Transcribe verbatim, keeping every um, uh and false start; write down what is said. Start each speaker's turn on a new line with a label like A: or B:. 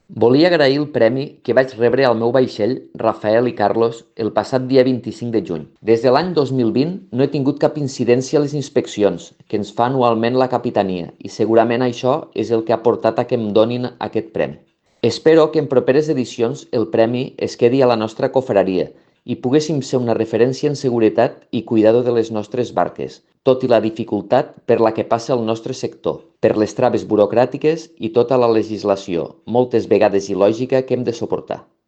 A: Volia agrair el premi que vaig rebre al meu vaixell, Rafael i Carlos, el passat dia vint-i-cinc de juny. Des de l'any dos mil vint no he tingut cap incidència a les inspeccions que ens fa anualment la Capitania i segurament això és el que ha portat a que em donin aquest premi. Espero que en properes edicions el premi es quedi a la nostra confraria i poguéssim ser una referència en seguretat i cuidado de les nostres barques, tot i la dificultat per la que passa el nostre sector, per les traves burocràtiques i tota la legislació, moltes vegades il·lògica, que hem de suportar.